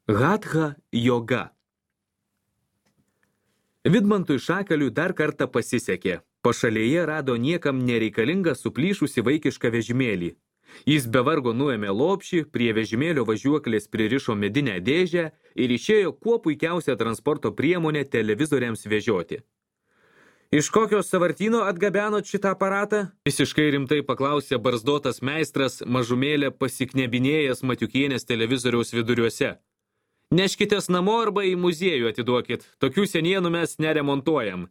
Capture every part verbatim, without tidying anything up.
Hatha joga. Vidmantui Šakaliui dar kartą pasisekė. Pašalėje rado niekam nereikalingą suplyšusi vaikišką vežimėlį. Jis be vargo nuėmė lopšį, prie vežimėlio važiuoklės pririšo medinę dėžę ir išėjo kuo puikiausią transporto priemonę televizoriams vežioti. Iš kokios sąvartyno atgabenot šitą aparatą? Visiškai rimtai paklausė barzdotas meistras, mažumėlę pasiknebinėjęs Matiukienės televizoriaus viduriuose. Neškitės namo arba į muziejų atiduokit, tokių senienų mes neremontuojam.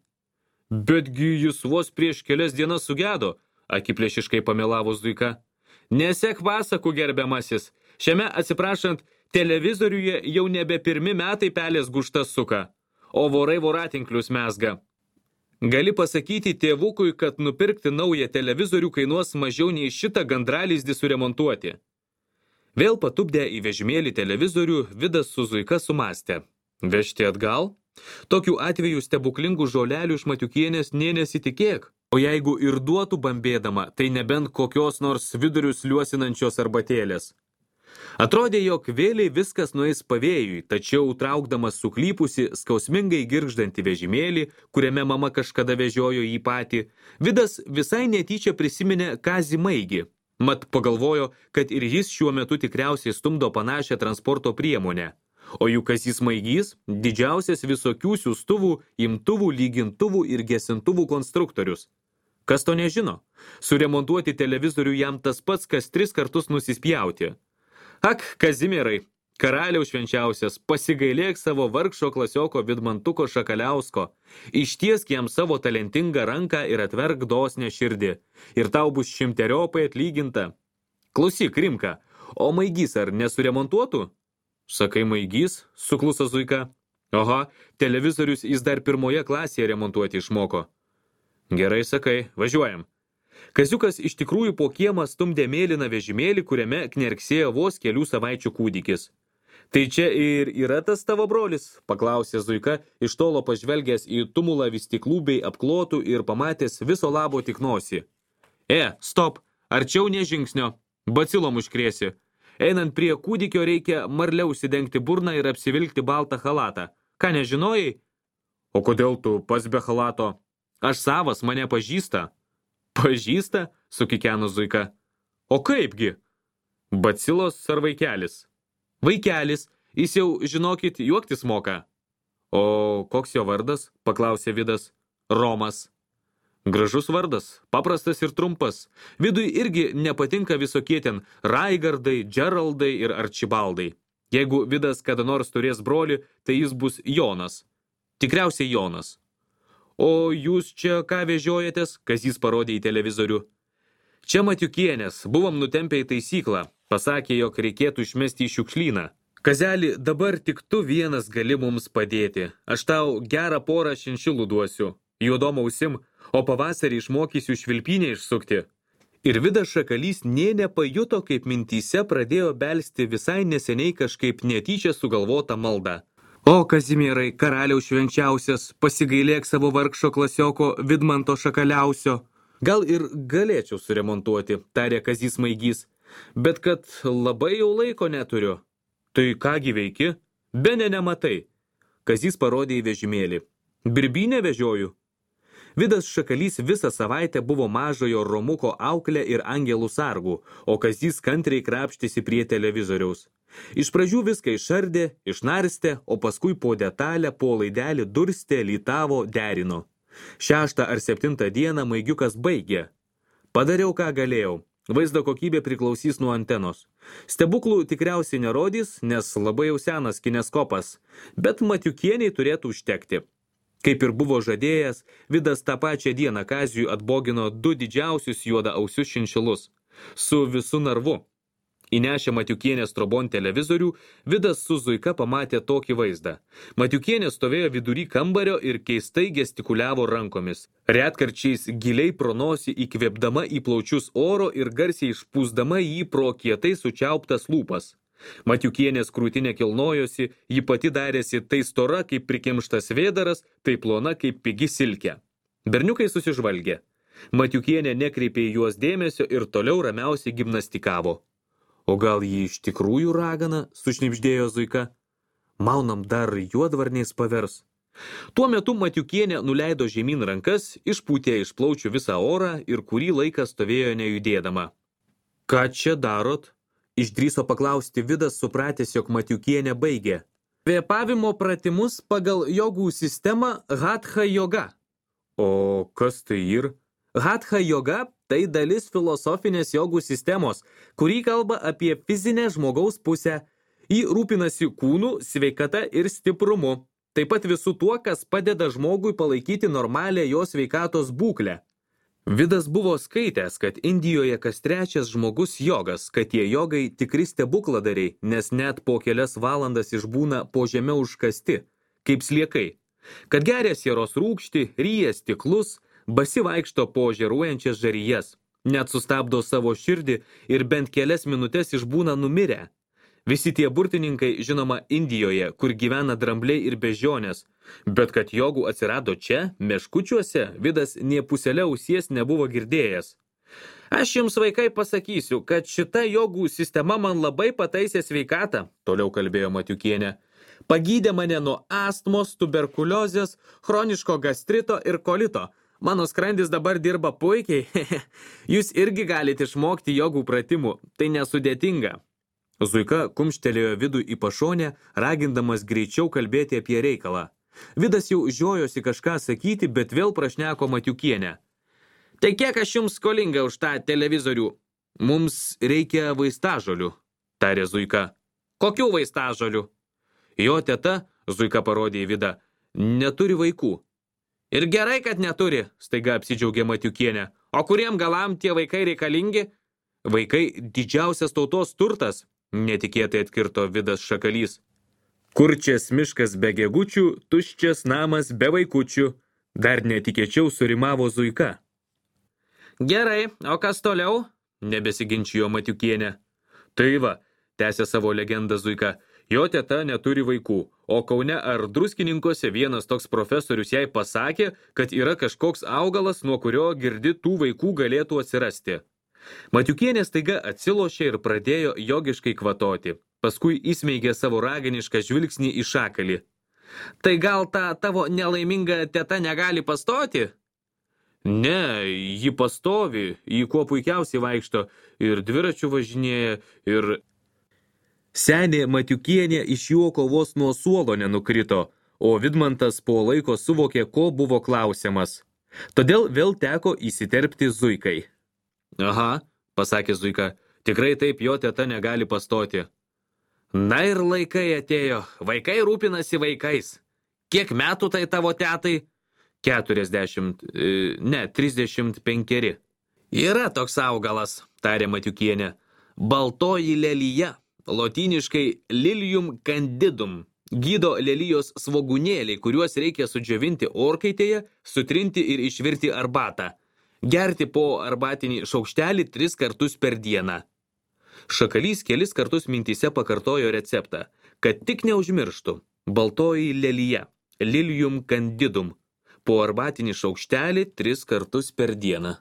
Betgi jis vos prieš kelias dienas sugedo, akiplėšiškai pamelavo Zuika. Nesek pasakų, gerbiamasis, šiame atsiprašant, televizoriuje jau nebe pirmi metai pelės guštas suka, o vorai voratinklius mezga. Gali pasakyti tėvukui, kad nupirkti naują televizorių kainuos mažiau nei šitą gandralizdį suremontuoti. Vėl patupdę į vežimėlį televizorių, Vidas su Zuika sumastė. Vežti atgal? Tokiu atveju stebuklingų žolelių iš Matiukienės nė nesitikėk. O jeigu ir duotų bambėdama, tai nebent kokios nors vidurius liuosinančios arbatėlės. Atrodė, jog vėliai viskas nueis pavėjui, tačiau traukdamas suklypusi, skausmingai girgždantį vežimėlį, kuriame mama kažkada vežiojo jį patį, Vidas visai netyčia prisiminė Kazį Maigį. Mat pagalvojo, kad ir jis šiuo metu tikriausiai stumdo panašią transporto priemonę. O juk Kazys Maigys – didžiausias visokių siųstuvų, imtuvų, lygintuvų ir gesintuvų konstruktorius. Kas to nežino? Suremontuoti televizorių jam tas pats, kas tris kartus nusispjauti. Ak, Kazimierai, karaliaus švenčiausias, pasigailėk savo vargšo klasioko Vidmantuko Šakaliausko, ištiesk jam savo talentingą ranką ir atverk dosnią širdį, ir tau bus šimteriopai atlyginta. Klausyk, Rimka, o Maigys ar nesuremontuotų? Sakai Maigys, sukluso Zuika. Oho, televizorius jis dar pirmoje klasėje remontuoti išmoko. Gerai sakai, važiuojam. Kaziukas iš tikrųjų po kiemą stumdė mėlyną vežimėlį, kuriame knerksėjo vos kelių savaičių kūdikis. Tai čia ir yra tas tavo brolis, paklausė Zuika, iš tolo pažvelgęs į tumulą vystiklų bei apklotų ir pamatęs viso labo tik nosį. E, stop, arčiau ne žingsnio, bacilom užkrėsi. Einant prie kūdikio reikia marliau užsidengti burną ir apsivilkti baltą halatą. Ką nežinojai? O kodėl tu pas be halato? Aš savas, mane pažįsta. Pažįsta? Sukikeno Zuika. O kaipgi? Bacilos ar vaikelis? Vaikelis, jis jau, žinokit, juoktis moka. O koks jo vardas? Paklausė Vidas. Romas. Gražus vardas, paprastas ir trumpas. Vidui irgi nepatinka visokie ten Raigardai, Džeraldai ir Arčibaldai. Jeigu Vidas kada nors turės brolį, tai jis bus Jonas. Tikriausiai Jonas. O jūs čia ką vežiojatės? Kazys parodė į televizorių. Čia Matiukienės, buvom nutempę į taisyklą. Pasakė, jog reikėtų išmesti į šiukšlyną. Kazeli, dabar tik tu vienas gali mums padėti. Aš tau gerą porą šinšilų duosiu. Juodom ausim, o pavasarį išmokysiu švilpynę išsukti. Ir Vidas Šakalys nė nepajuto, kaip mintyse pradėjo belsti visai neseniai kažkaip netyčia sugalvotą maldą. O, Kazimierai, karaliaus švenčiausias, pasigailėk savo vargšo klasioko Vidmanto Šakaliausio. Gal ir galėčiau suremontuoti, tarė Kazys Maigys, bet kad labai jau laiko neturiu. Tai kągi veiki? Bene nematai. Kazys parodė į vežimėlį. Birbynę vežioju. Vidas Šakalys visą savaitę buvo mažojo Romuko auklė ir angelų sargų, o Kazys kantriai krapštėsi prie televizoriaus. Iš pradžių viską išardė, išnarstė, o paskui po detalę, po laidelį durstė, lytavo, derino. Šeštą ar septintą dieną Maigiukas baigė. Padariau, ką galėjau. Vaizdo kokybė priklausys nuo antenos. Stebuklų tikriausiai nerodys, nes labai jau senas kineskopas, bet Matiukieniai turėtų užtekti. Kaip ir buvo žadėjęs, Vidas tą pačią dieną Kaziui atbogino du didžiausius juodaausius šinšilus. Su visu narvu. Įnešę Matiukienės trobon televizorių, Vidas su Zuika pamatė tokį vaizdą. Matiukienė stovėjo vidury kambario ir keistai gestikuliavo rankomis. Retkarčiais giliai pro nosį įkvėpdama į plaučius oro ir garsiai išpūsdama jį pro kietai sučiauptas lūpas. Matiukienės krūtinė kilnojosi, ji pati darėsi tai stora kaip prikimštas vėdaras, tai plona kaip pigi silkė. Berniukai susižvalgė. Matiukienė nekreipė į juos dėmesio ir toliau ramiausiai gimnastikavo. O gal ji iš tikrųjų ragana, sušnibždėjo Zuika? Maunam dar juodvarniais pavers. Tuo metu Matiukienė nuleido žemyn rankas, išpūtė iš plaučių visą orą ir kurį laiką stovėjo nejudėdama. Ką čia darot? Išdrįso paklausti Vidas, supratęs, jog Matiukienė baigė. Kvėpavimo pratimus pagal jogų sistemą Hatha joga. O kas tai ir? Hatha joga tai dalis filosofinės jogų sistemos, kuri kalba apie fizinę žmogaus pusę. Ji rūpinasi kūnu, sveikata ir stiprumu. Taip pat visų tuo, kas padeda žmogui palaikyti normalią jo sveikatos būklę. Vidas buvo skaitęs, kad Indijoje kas trečias žmogus jogas, kad tie jogai tikri stebukladariai, nes net po kelias valandas išbūna po žeme užkasti, kaip sliekai. Kad geria sieros rūgštį, ryja stiklus, basi vaikšto po žėruojančias žarijas, net sustabdo savo širdį ir bent kelias minutės išbūna numirę. Visi tie burtininkai, žinoma, Indijoje, kur gyvena drambliai ir bežionės, bet kad jogų atsirado čia, meškučiuose, Vidas nė puselė ausies nebuvo girdėjęs. Aš jums, vaikai, pasakysiu, kad šita jogų sistema man labai pataisė sveikatą, toliau kalbėjo Matiukienė. Pagydė mane nuo astmos, tuberkuliozės, chroniško gastrito ir kolito. Mano skrandis dabar dirba puikiai. Jūs irgi galite išmokti jogų pratimų, tai nesudėtinga. Zuika kumštelėjo Vidų į pašonę, ragindamas greičiau kalbėti apie reikalą. Vidas jau žiojosi kažką sakyti, bet vėl prašneko Matiukienę. Tai kiek aš jums skolinga už tą televizorių? Mums reikia vaistažolių, tarė Zuika. Kokių vaistažolių? Jo teta, Zuika parodė į Vidą, neturi vaikų. Ir gerai, kad neturi, staiga apsidžiaugė Matiukienė. O kuriem galam tie vaikai reikalingi? Vaikai didžiausias tautos turtas, netikėtai atkirto Vidas Šakalys. Kurčias miškas be gegučių, tuščias namas be vaikučių, dar netikėčiau surimavo Zuika. Gerai, o kas toliau? Nebesiginčijo Matiukienė. Tai va, tęsė savo legendą Zuika, jo teta neturi vaikų, o Kaune ar Druskininkuose vienas toks profesorius jai pasakė, kad yra kažkoks augalas, nuo kurio girdi tų vaikų galėtų atsirasti. Matiukienė staiga atsilošė ir pradėjo jogiškai kvatoti. Paskui įsmeigė savo raginišką žvilgsnį į Šakalį. Tai gal ta tavo nelaiminga teta negali pastoti? Ne, ji pastovi, ji kuo puikiausiai vaikšto ir dviračių važinėja ir... Senė Matiukienė iš juoko vos nuo suolo nenukrito, o Vidmantas po laiko suvokė, ko buvo klausiamas. Todėl vėl teko įsiterpti Zuikai. Aha, pasakė Zuika, tikrai taip jo teta negali pastoti. Na ir laikai atėjo, vaikai rūpinasi vaikais. Kiek metų tai tavo tetai? Keturiasdešimt, ne, trisdešimt penkeri. Yra toks augalas, tarė Matiukienė, baltoji lelija, lotyniškai lilium candidum. Gydo lelijos svogunėliai, kuriuos reikia sudžiovinti orkaitėje, sutrinti ir išvirti arbatą. Gerti po arbatinį šaukštelį tris kartus per dieną. Šakalys kelis kartus mintyse pakartojo receptą, kad tik neužmirštų. Baltoji lelija, lilium candidum, po arbatinį šaukštelį tris kartus per dieną.